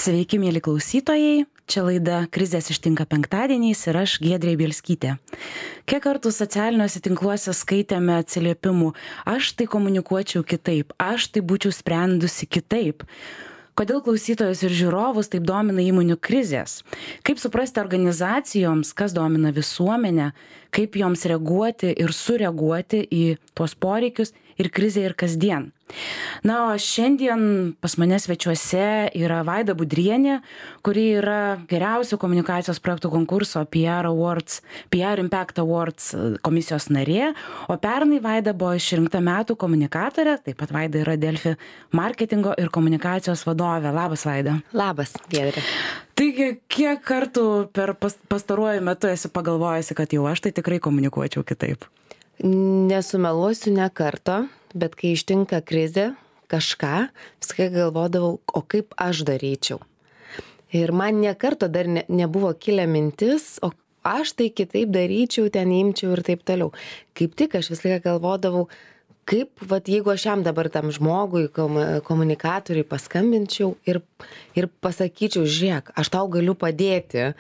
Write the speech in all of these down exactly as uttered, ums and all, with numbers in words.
Sveiki, mėly klausytojai. Čia laida Krizės ištinka penktadieniais ir aš Giedrė Bielskytė. Kiek kartų socialiniuose tinkluose skaitėme atsiliepimų, aš tai komunikuočiau kitaip, aš tai būčiau sprendusi kitaip. Kodėl klausytojus ir žiūrovus taip domina įmonių krizės? Kaip suprasti organizacijoms, kas domina visuomenę, kaip joms reaguoti ir sureaguoti į tuos poreikius ir krizę ir kasdien. Na, o šiandien pas mane svečiuose yra Vaida Budrienė, kuri yra geriausio komunikacijos projektų konkurso P R Awards, P R Impact Awards komisijos narė, o pernai Vaida buvo išrinkta metų komunikatorė, taip pat Vaida yra Delfi marketingo ir komunikacijos vadovė. Labas, Vaida. Labas, Giedrė. Taigi, kiek kartų per pas, pastaruoju metu esi pagalvojusi, kad jau aš tai tikrai komunikuočiau kitaip? Nesumeluosiu ne karto, bet kai ištinka krizė, kažką, viskai galvodavau, o kaip aš daryčiau. Ir man ne karto dar ne, nebuvo kilę mintis, o aš tai kitaip daryčiau, ten imčiau ir taip toliau. Kaip tik aš visą laiką galvodavau, kaip, vat, jeigu aš jam dabar tam žmogui, komunikatoriui paskambinčiau ir, ir pasakyčiau, žiūrėk, aš tau galiu padėti,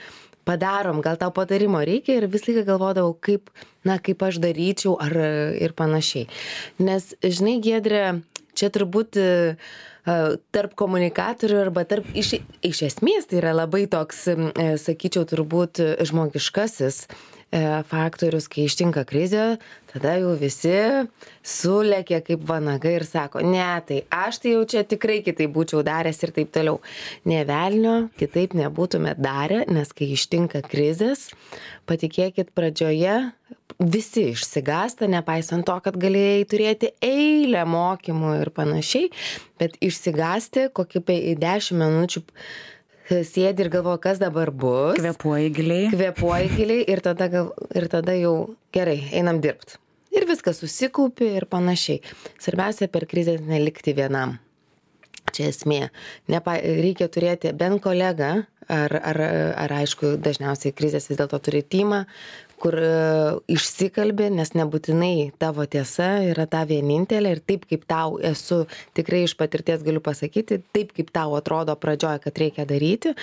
padarom, gal tau patarimo reikia, ir vis laiką galvodavau, kaip, na, kaip aš daryčiau ar ir panašiai. Nes, žinai, Giedrė, čia turbūt tarp komunikatorių arba tarp, iš, iš esmės tai yra labai toks, sakyčiau, turbūt žmogiškasis faktorius, kai ištinka krizė, tada jau visi sulėkė kaip vanagai ir sako, ne, tai aš tai jau čia tikrai kitaip būčiau daręs ir taip toliau. Ne velnio, kitaip nebūtume darę, nes kai ištinka krizės, patikėkit, pradžioje visi išsigąsta, nepaisant to, kad galėjai turėti eilę mokymų ir panašiai, bet išsigąsti kokį dešimt minučių sėdi ir galvoja, kas dabar bus. Kvėpuoji giliai. Kvėpuoji giliai ir tada, gal, ir tada jau gerai, einam dirbti. Ir viskas susikaupi ir panašiai. Svarbiausia per krizę nelikti vienam. Čia esmė. Nepa, reikia turėti bent kolegą, ar, ar, ar aišku, dažniausiai krizės vis dėlto turi timą, kur išsikalbi, nes nebūtinai tavo tiesa yra ta vienintelė ir taip kaip tau esu, tikrai iš patirties galiu pasakyti, taip kaip tau atrodo pradžioje, kad reikia daryti,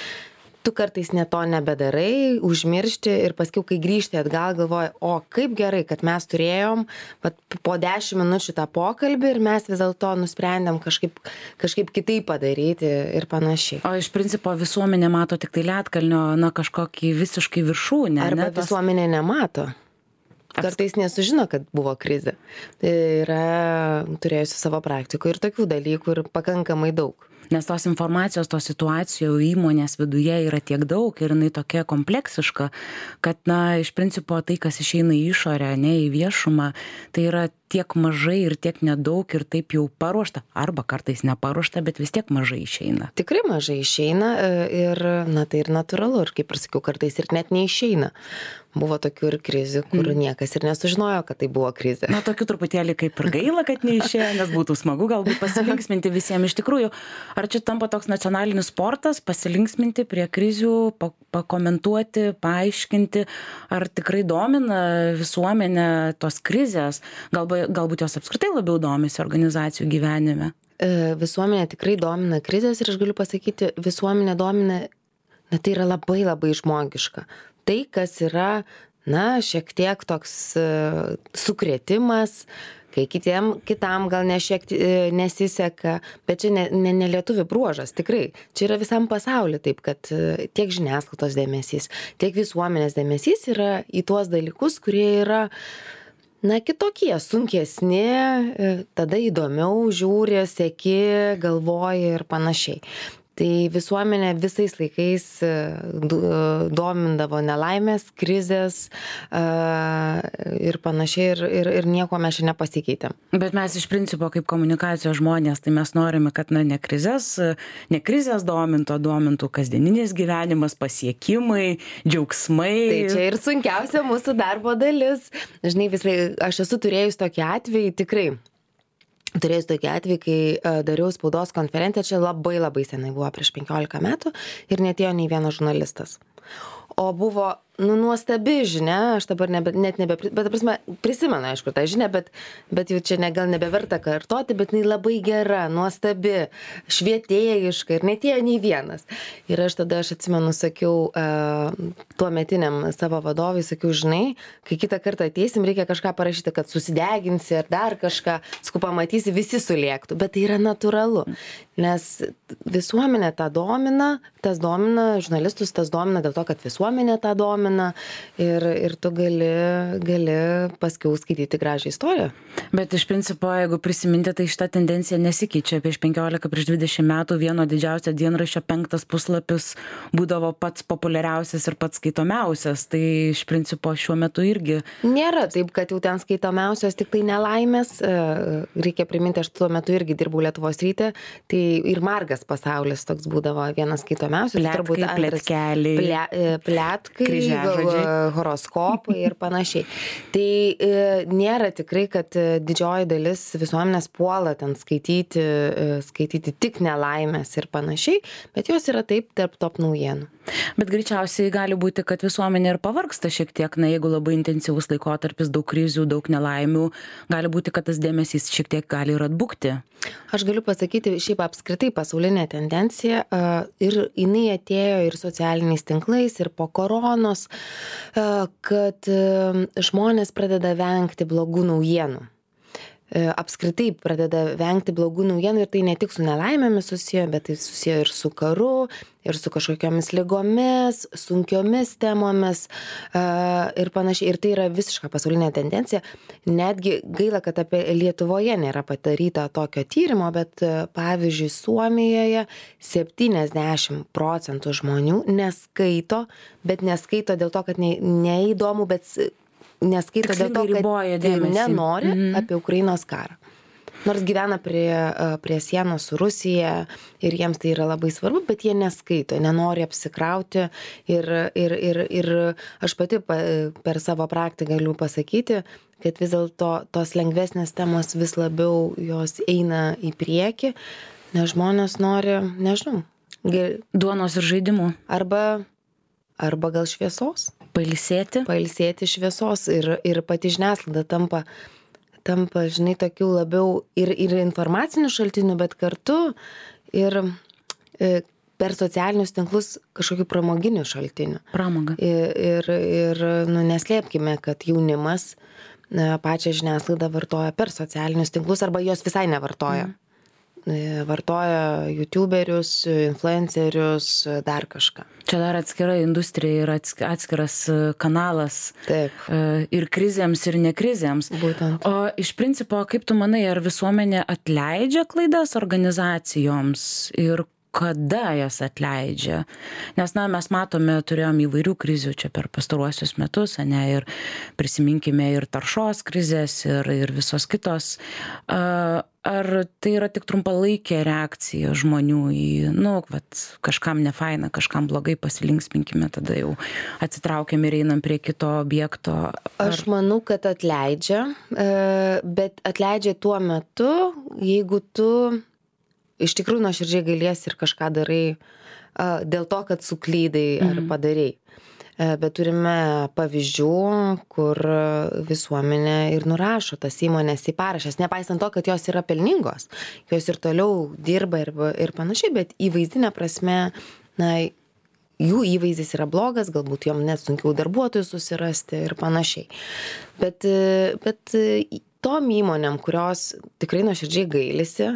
tu kartais ne to nebedarai, užmiršti ir paskiau, kai grįžti atgal, galvoji, o kaip gerai, kad mes turėjom vat, po dešimt minučių tą pokalbį ir mes vis dėlto nusprendėm kažkaip, kažkaip kitaip padaryti ir panašiai. O iš principo visuomenė mato tik tai ledkalnio, na, kažkokį visiškai viršūnę. Arba ne, tos... visuomenė nemato. Kartais nesužino, kad buvo krizė. Tai yra turėjusi savo praktikoje ir tokių dalykų ir pakankamai daug. Nes tos informacijos, tos situacijų įmonės viduje yra tiek daug ir jinai tokia kompleksiška, kad, na, iš principo tai, kas išeina į išorę, ne į viešumą, tai yra tiek mažai ir tiek nedaug ir taip jau paruošta, arba kartais neparuošta, bet vis tiek mažai išeina. Tikrai mažai išeina ir, na, tai ir natūralu, ir kaip ir sakiau, kartais ir net neišeina. Buvo tokių ir krizių, kur mm. niekas ir nesužinojo, kad tai buvo krizė. Na, tokių truputėlį kaip ir gaila, kad neišėjo, nes būtų smagu galbūt pasilinksminti visiems. Iš tikrųjų, ar čia tampa toks nacionalinis sportas, pasilinksminti prie krizių, pakomentuoti, paaiškinti, ar tikrai domina visuomenę tos krizės, galbūt, galbūt jos apskritai labiau domisi organizacijų gyvenime? Visuomenė tikrai domina krizės ir aš galiu pasakyti, visuomenė domina, na, tai yra labai labai žmogiška. Tai, kas yra, na, šiek tiek toks uh, sukrėtimas, kai kitiem, kitam gal ne šiek tiek uh, nesiseka, bet čia ne, ne, ne lietuvių bruožas, tikrai. Čia yra visam pasauliu taip, kad uh, tiek žiniasklaidos dėmesys, tiek visuomenės dėmesys yra į tuos dalykus, kurie yra, na, kitokie, sunkesni, uh, tada įdomiau žiūri, seki, galvoji ir panašiai. Tai visuomenė visais laikais domindavo nelaimės, krizės ir panašiai ir, ir, ir nieko mes čia nepasikeitėm. Bet mes iš principo kaip komunikacijos žmonės, tai mes norime, kad, na, ne krizės, ne krizės domintų, domintų kasdieninis gyvenimas, pasiekimai, džiaugsmai. Tai čia ir sunkiausia mūsų darbo dalis. Žinai, visai, aš esu turėjus tokį atvejį tikrai. Turėjus tokį atvejį, kai uh, dariau spaudos konferenciją, čia labai labai senai buvo prieš penkiolika metų ir netėjo nei vienas žurnalistas. O buvo, nu, nuostabi žinia, aš dabar nebe, net nebe, bet, prasme, prisimenu, aišku, tą žinią, bet, bet jau čia ne, gal nebeverta kartoti, bet jinai labai gera, nuostabi, švietėjiška ir netėjo nei vienas. Ir aš tada, aš atsimenu, sakiau, uh, tuo metiniam savo vadovui, sakiau, žinai, kai kitą kartą ateisim, reikia kažką parašyti, kad susideginsi ar dar kažką, sakau, pamatysi, visi sulėktų, bet tai yra natūralu, nes visuomenė tą domina, tas domina, žurnalistus tas domina dėl to, kad visuomenė tą domina ir, ir tu gali, gali paskiau skaityti gražią istoriją. Bet iš principo, jeigu prisiminti, tai šita tendencija nesikeičia. Prieš penkiolika, prieš dvidešimt metų vieno didžiausio dienraščio penktas puslapis būdavo pats populiariausias ir pats skaitomiausias. Tai iš principo šiuo metu irgi. Nėra taip, kad jau ten skaitomiausios tik tai nelaimės. Reikia priminti, aš tuo metu irgi dirbau Lietuvos ryte, tai ir margas pasaulis toks būdavo vienas skaitomiausias. Pletkai, pletkeliai. Ple, pletkai, horoskopai ir panašiai. Tai e, nėra tikrai, kad didžioji dalis visuomenės puola ten skaityti, e, skaityti tik nelaimės ir panašiai, bet jos yra taip tarp top naujienų. Bet greičiausiai gali būti, kad visuomenė ir pavargsta šiek tiek, na, jeigu labai intensyvus laikotarpis, daug krizių, daug nelaimių, gali būti, kad tas dėmesys šiek tiek gali ir atbukti. Aš galiu pasakyti, šiaip apskritai pasaulinė tendencija uh, ir jinai atėjo ir socialiniais tinklais, ir po koronos, uh, kad uh, žmonės pradeda vengti blogų naujienų. Apskritai pradeda vengti blogų naujienų ir tai ne tik su nelaimėmis susiję, bet tai susiję ir su karu, ir su kažkokiamis ligomis, sunkiomis temomis uh, ir panašiai. Ir tai yra visiška pasaulinė tendencija. Netgi gaila, kad apie Lietuvoje nėra padaryta tokio tyrimo, bet uh, pavyzdžiui, Suomijoje septyniasdešimt procentų žmonių neskaito, bet neskaito dėl to, kad ne, neįdomu, bet neskaito dėl to, kad nenori mm-hmm. apie Ukrainos karą. Nors gyvena prie, prie sienos su Rusija ir jiems tai yra labai svarbu, bet jie neskaito, nenori apsikrauti ir, ir, ir, ir aš pati per savo praktiką galiu pasakyti, kad vis dėlto tos lengvesnės temos vis labiau jos eina į priekį, nes žmonės nori, nežinau, ger... duonos ir žaidimų. Arba, arba gal šviesos. Pailsėti. Pailsėti šviesos ir, ir pati žiniasklaida tampa, tampa, žinai, tokių labiau ir, ir informacinių šaltinių, bet kartu ir e, per socialinius tinklus kažkokių pramoginių šaltinių. Pramoga. Ir, ir, ir nu, neslėpkime, kad jaunimas e, pačią žiniasklaidą vartoja per socialinius tinklus arba jos visai nevartoja. Mm. Vartoja youtuberius, influencerius, dar kažką. Čia dar atskira industrija ir atskiras kanalas. Taip. Ir krizėms, ir nekrizėms. Būtent. O iš principo, kaip tu manai, ar visuomenė atleidžia klaidas organizacijoms ir kada jas atleidžia? Nes, na, mes matome, turėjom įvairių krizių čia per pastaruosius metus, ne, ir prisiminkime ir taršos krizės, ir, ir visos kitos. Ar tai yra tik trumpalaikė reakcija žmonių į, nu, vat, kažkam nefaina, kažkam blogai, pasilinksminkime, tada jau atsitraukiam ir einam prie kito objekto? Ar... Aš manau, kad atleidžia, bet atleidžia tuo metu, jeigu tu iš tikrųjų nuoširdžiai gailiesi ir kažką darai dėl to, kad suklydai ar padarei. Bet turime pavyzdžių, kur visuomenė ir nurašo tas įmonės į parašęs, nepaisant to, kad jos yra pelningos. Jos ir toliau dirba ir, ir panašiai, bet įvaizdinė prasme, na, jų įvaizdis yra blogas, galbūt jom net sunkiau darbuotojų susirasti ir panašiai. Bet, bet tom įmonėm, kurios tikrai nuoširdžiai gailisi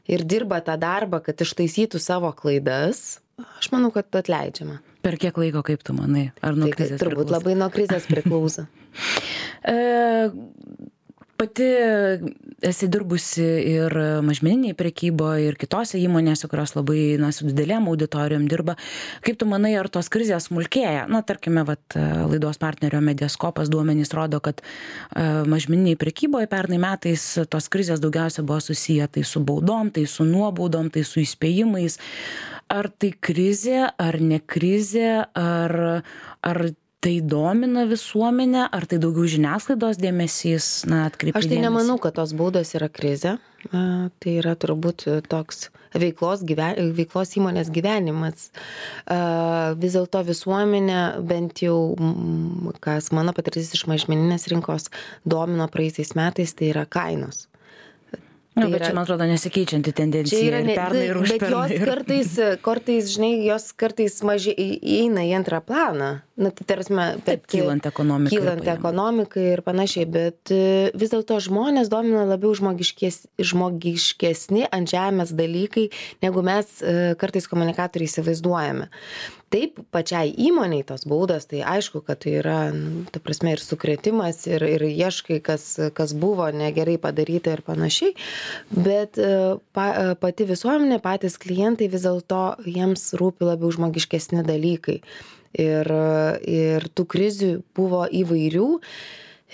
ir dirba tą darbą, kad ištaisytų savo klaidas, aš manau, kad atleidžiama. Per kiek laiko, kaip tu manai? Ar nuo tai, krizės turbūt priklauso? Labai nuo krizės priklauso. e, pati esi dirbusi ir mažmeniniai prekyboje, ir kitose įmonėse, kurios labai, na, su didelėm auditorijom dirba. Kaip tu manai, ar tos krizės smulkėja? Na, tarkime, vat, laidos partnerio Mediaskopas duomenys rodo, kad mažmeniniai prekyboje pernai metais tos krizės daugiausia buvo susiję tai su baudom, tai su nuobaudom, tai su įspėjimais. Ar tai krizė, ar ne krizė, ar, ar tai domina visuomenę, ar tai daugiau žiniasklaidos dėmesys, na, atkreipti Aš tai dėmesį? nemanau, kad tos baudos yra krizė. A, Tai yra turbūt toks veiklos, gyven, veiklos įmonės gyvenimas. A, Vis dėlto visuomenė, bent jau, m, kas mano patirtis iš mažmeninės rinkos domino praeisiais metais, tai yra kainos. Na, Tai bet yra- čia, man atrodo, nesikeičianti tendencija Čia yra ir ne, pernai ir bet užpernai. jos ir- kartais, kartais, žinai, jos kartais mažiai į- įeina į antrą planą. Na, tai tarsi, Taip, kylant ekonomikai ir Kylant pajamom. ekonomikai ir panašiai, bet e, vis dėlto žmonės domina labiau žmogiškes, žmogiškesni ant žemės dalykai, negu mes e, kartais komunikatoriai įsivaizduojame. Taip, pačiai įmoniai tos baudos, tai aišku, kad tai yra, nu, ta prasme, ir sukretimas, ir, ir ieškai, kas, kas buvo negerai padaryta ir panašiai, bet e, pa, e, pati visuomenė, patys klientai vis dėlto jiems rūpi labiau žmogiškesni dalykai. Ir, ir tų krizių buvo įvairių.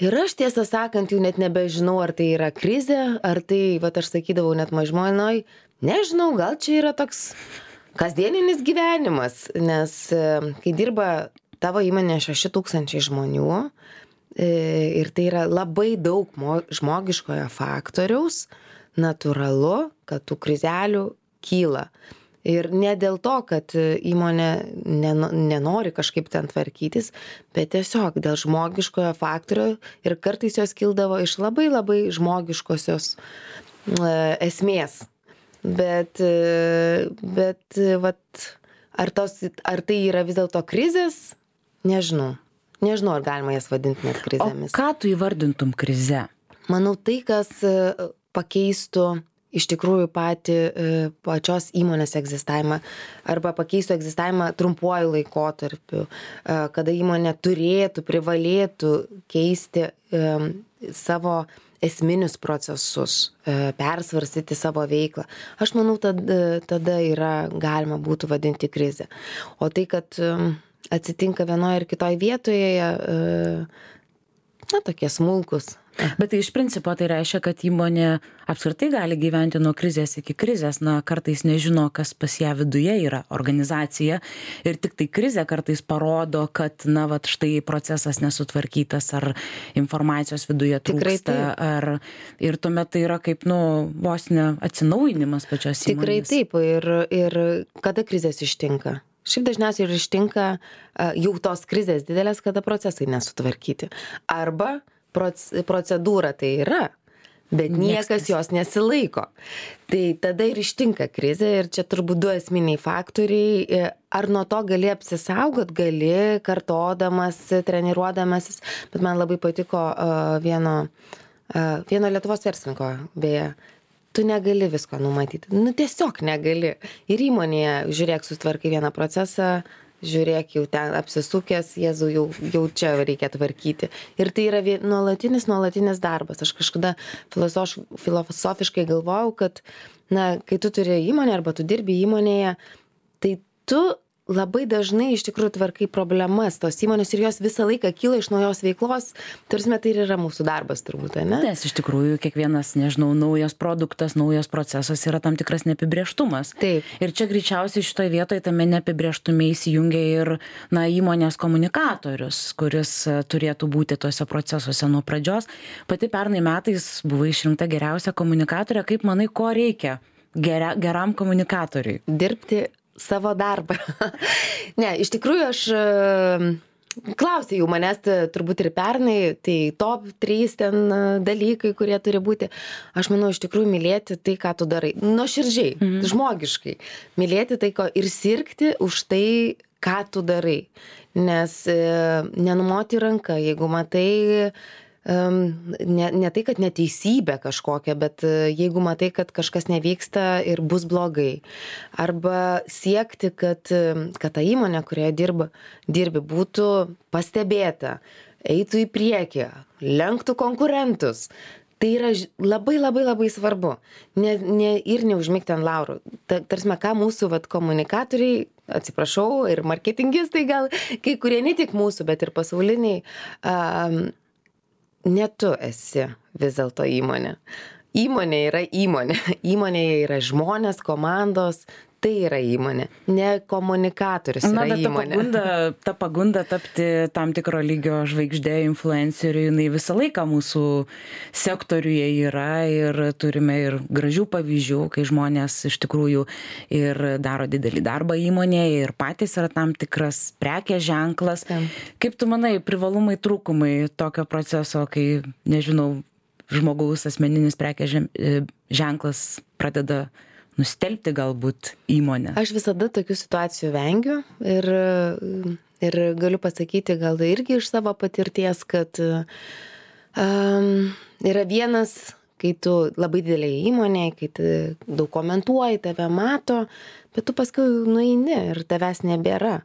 Ir aš tiesą sakant, jau net nebežinau, ar tai yra krizė, ar tai, va, aš sakydavau net mažmonoj, nežinau, gal čia yra toks kasdieninis gyvenimas, nes e, kai dirba tavo įmonė šeši tūkstančiai žmonių e, ir tai yra labai daug mo- žmogiškojo faktoriaus, natūralu, kad tų krizelių kyla. Ir ne dėl to, kad įmonė neno- nenori kažkaip ten tvarkytis, bet tiesiog dėl žmogiškojo faktorio ir kartais jos kildavo iš labai labai žmogiškosios e, esmės. Bet, e, bet e, vat, ar, tos, ar tai yra vis dėlto krizės? Nežinau. Nežinau, ar galima jas vadinti net O krizėmis. ką tu įvardintum krize? Manau, tai, kas e, pakeistų iš tikrųjų patį e, pačios įmonės egzistavimą arba pakeistų egzistavimą trumpuoju laikotarpiu, e, kada įmonė turėtų, privalėtų keisti e, savo esminius procesus, e, persvarstyti savo veiklą. Aš manau, tada, tada yra galima būtų vadinti krizę. O tai, kad e, atsitinka vienoje ir kitoje vietoje, e, na, tokie smulkus. Bet tai iš principo tai reiškia, kad įmonė apskritai gali gyventi nuo krizės iki krizės, na, kartais nežino, kas pas ją viduje yra organizacija ir tik tai krizė kartais parodo, kad, na, vat štai procesas nesutvarkytas ar informacijos viduje Tikrai trūksta, taip. ar ir tuomet tai yra kaip, nu, vos ne atsinaujinimas pačios įmonės. Tikrai taip. Ir, ir kada krizės ištinka? Šiaip dažniausiai ir ištinka a, jau tos krizės didelės, kada procesai nesutvarkyti. Arba proc- procedūra tai yra, bet Nieks niekas jos nesilaiko. Tai tada ir ištinka krizė ir čia turbūt du esminiai faktoriai. E, Ar nuo to gali apsisaugot, gali kartodamas, treniruodamasis, bet man labai patiko a, vieno, a, vieno Lietuvos verslininko, beje, tu negali visko numatyti. Nu, tiesiog negali. Ir įmonėje, žiūrėk, sutvarkai vieną procesą, žiūrėk, jau ten apsisukęs, Jėzau, jau, jau čia reikia tvarkyti. Ir tai yra vie- nuolatinis, nuolatinis darbas. Aš kažkada filosof, filosofiškai galvojau, kad, na, kai tu turi įmonę arba tu dirbi įmonėje, tai tu labai dažnai iš tikrųjų tvarkai problemas tos įmonės ir jos visą laiką kyla iš naujos veiklos. Tarsi tai ir yra mūsų darbas turbūt, ne? Nes iš tikrųjų kiekvienas, nežinau, naujas produktas, naujas procesas yra tam tikras neapibrėžtumas. Taip. Ir čia greičiausiai šitoje vietoje tame neapibrėžtume įsijungia ir, na, įmonės komunikatorius, kuris e, turėtų būti tuose procesuose nuo pradžios. Pati pernai metais buvo išrinkta geriausia komunikatorė. Kaip manai, ko reikia geria, geram komunikatoriui? Dirbti savo darbą. Ne, iš tikrųjų aš e, klausė jau manęs t- turbūt ir pernai, tai top trys ten e, dalykai, kurie turi būti. Aš manau, iš tikrųjų mylėti tai, ką tu darai. Nuoširdžiai, mhm. žmogiškai. Mylėti tai, ko ir sirgti už tai, ką tu darai. Nes e, nenumoti ranką, jeigu matai Um, ne, ne tai, kad neteisybė kažkokia, bet uh, jeigu matai, kad kažkas nevyksta ir bus blogai. Arba siekti, kad, um, kad ta įmonė, kurioje dirba, dirbi, būtų pastebėta, eitų į priekį, lenktų konkurentus. Tai yra ž- labai labai labai svarbu. Ne, ne, ir neužmigti ant laurų. Ta, tarsime, ką mūsų vat, komunikatoriai, atsiprašau, ir marketingistai gal, kai kurie ne tik mūsų, bet ir pasauliniai, um, ne tu esi vis dėlto įmonė. Įmonė yra įmonė. Įmonėje yra žmonės, komandos. tai yra įmonė, ne komunikatorius Na, yra bet ta įmonė. pagunda, ta pagunda tapti tam tikro lygio žvaigždė, influenceriu, jinai visą laiką mūsų sektoriuje yra ir turime ir gražių pavyzdžių, kai žmonės iš tikrųjų ir daro didelį darbą įmonėje ir patys yra tam tikras prekės ženklas. Tam. Kaip tu manai, privalumai, trūkumai tokio proceso, kai, nežinau, žmogaus asmeninis prekės ženklas pradeda nustelbti galbūt įmonę? Aš visada tokių situacijų vengiu ir, ir galiu pasakyti gal irgi iš savo patirties, kad um, yra vienas, kai tu labai didelėje įmonėje, kai tu daug komentuoji, tave mato, bet tu paskui nueini ir tavęs nebėra.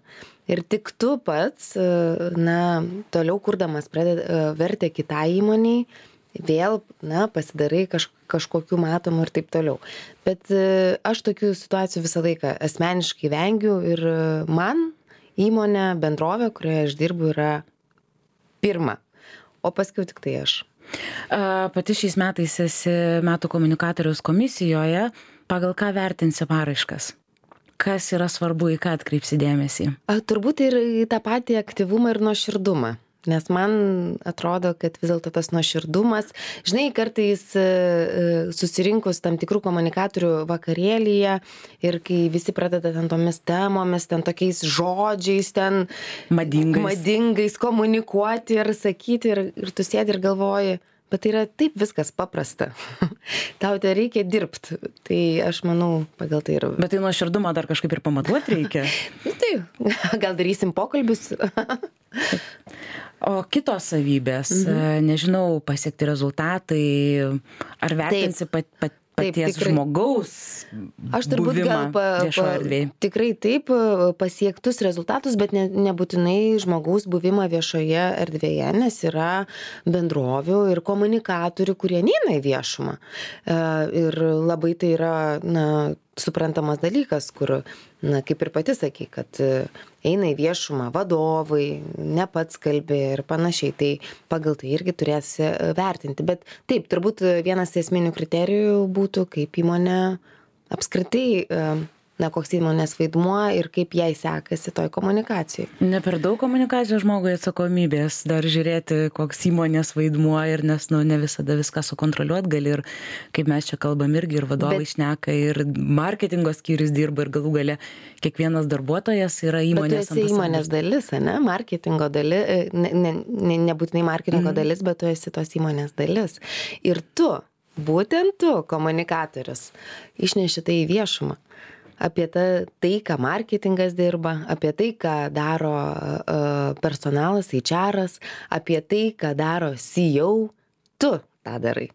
Ir tik tu pats, na, toliau kurdamas pradeda vertę kitai įmoniai, vėl, na, pasidarai kaž, kažkokių matomų ir taip toliau. Bet aš tokių situacijų visą laiką asmeniškai vengiu ir man įmonė, bendrovė, kurioje aš dirbu, yra pirma, o paskui tik tai aš. Pati šiais metais esi metų komunikatoriaus komisijoje, pagal ką vertinsi paraiškas? Kas yra svarbu, į ką atkreipsi dėmesį? A, turbūt ir į tą patį aktyvumą ir nuoširdumą. Nes man atrodo, kad vis dėlto tas nuoširdumas, žinai, kartais susirinkus tam tikrų komunikatorių vakarėlyje ir kai visi pradeda ten tomis temomis, ten tokiais žodžiais, ten madingais, madingais komunikuoti ir sakyti ir, ir tu sėdi ir galvoji, bet tai yra taip viskas paprasta. Tau tai reikia dirbti. Tai aš manau, pagal tai ir... Bet tai nuoširdumą dar kažkaip ir pamatuoti reikia. Tai gal darysim pokalbius. O kitos savybės, mhm. nežinau, pasiekti rezultatai, ar vertinsi pat, pat, paties taip, žmogaus aš turbūt gal pa, pa, tikrai taip pasiektus rezultatus, bet ne, nebūtinai žmogaus buvimą viešoje erdvėje, nes yra bendrovių ir komunikatorių, kurie neina į viešumą. Ir labai tai yra, na, suprantamas dalykas, kur, na, kaip ir pati sakai, kad eina į viešumą vadovai, ne pats kalbė ir panašiai, tai pagal tai irgi turėsi vertinti. Bet taip, turbūt vienas esminių kriterijų būtų, kaip įmonė apskritai, na, koks įmonės vaidmuo ir kaip jai sekasi toj komunikacijai. Ne per daug komunikacijos žmogui atsakomybės, dar žiūrėti, koks įmonės vaidmuo ir nes, nu, ne visada viską sukontroliuot gali ir kaip mes čia kalbam irgi ir vadovai bet, šneka ir marketingo skyrius dirba ir galų gale kiekvienas darbuotojas yra įmonės. Bet tu esi įmonės dalis, ne? Marketingo dalis, ne, ne, ne, nebūtinai marketingo mm. dalis, bet tu esi tos įmonės dalis. Ir tu, būtent tu, komunikatorius, išneši tai į viešumą. Apie ta, tai, ką marketingas dirba, apie tai, ką daro uh, personalas, H R-as, apie tai, ką daro C E O, tu tą darai.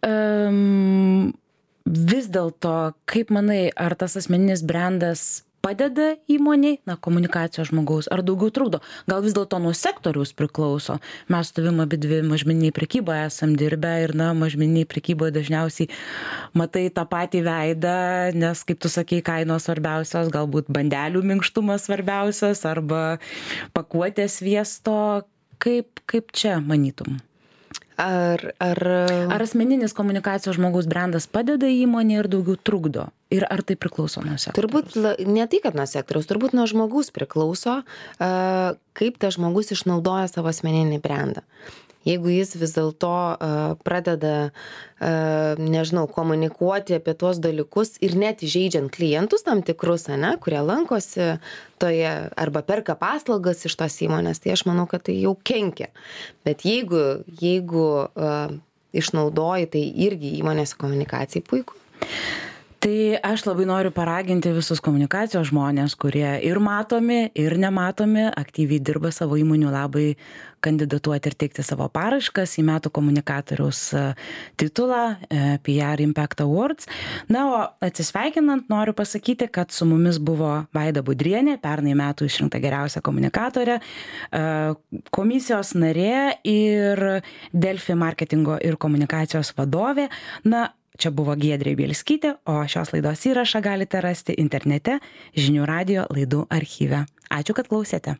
Um, vis dėlto, kaip manai, ar tas asmeninis brandas padeda įmoniai, na, komunikacijos žmogaus, ar daugiau trukdo? Gal vis dėlto nuo sektoriaus priklauso? Mes tuvim abidvi mažmeniniai prekyboje esam dirbę ir, na, mažmeniniai prekyboje dažniausiai matai tą patį veidą, nes, kaip tu sakei, kainos svarbiausios, galbūt bandelių minkštumas svarbiausias arba pakuotės sviesto. Kaip, kaip čia manytum? Ar, ar... ar asmeninis komunikacijos žmogaus brandas padeda įmonė ir daugiau trukdo? Ir ar tai priklauso nuo sektoriaus? Turbūt ne tai, kad nuo sektoriaus, turbūt nuo žmogus priklauso, kaip tas žmogus išnaudoja savo asmeninį brandą. Jeigu jis vis dėlto uh, pradeda, uh, nežinau, komunikuoti apie tuos dalykus ir net įžeidžiant klientus tam tikrus, ne, kurie lankosi toje arba perka paslaugas iš tos įmonės, tai aš manau, kad tai jau kenkia. Bet jeigu, jeigu uh, išnaudoji, tai irgi įmonės komunikacijai puiku. Tai aš labai noriu paraginti visus komunikacijos žmonės, kurie ir matomi, ir nematomi, aktyviai dirba savo įmonių labai, kandidatuoti ir teikti savo paraiškas į metų komunikatoriaus titulą P R Impact Awards. Na, o atsisveikinant noriu pasakyti, kad su mumis buvo Vaida Budrienė, pernai metų išrinkta geriausia komunikatorė, komisijos narė ir Delfi marketingo ir komunikacijos vadovė. Na, čia buvo Giedrė Bielskytė, o šios laidos įrašą galite rasti internete žinių radijo laidų archyve. Ačiū, kad klausėte.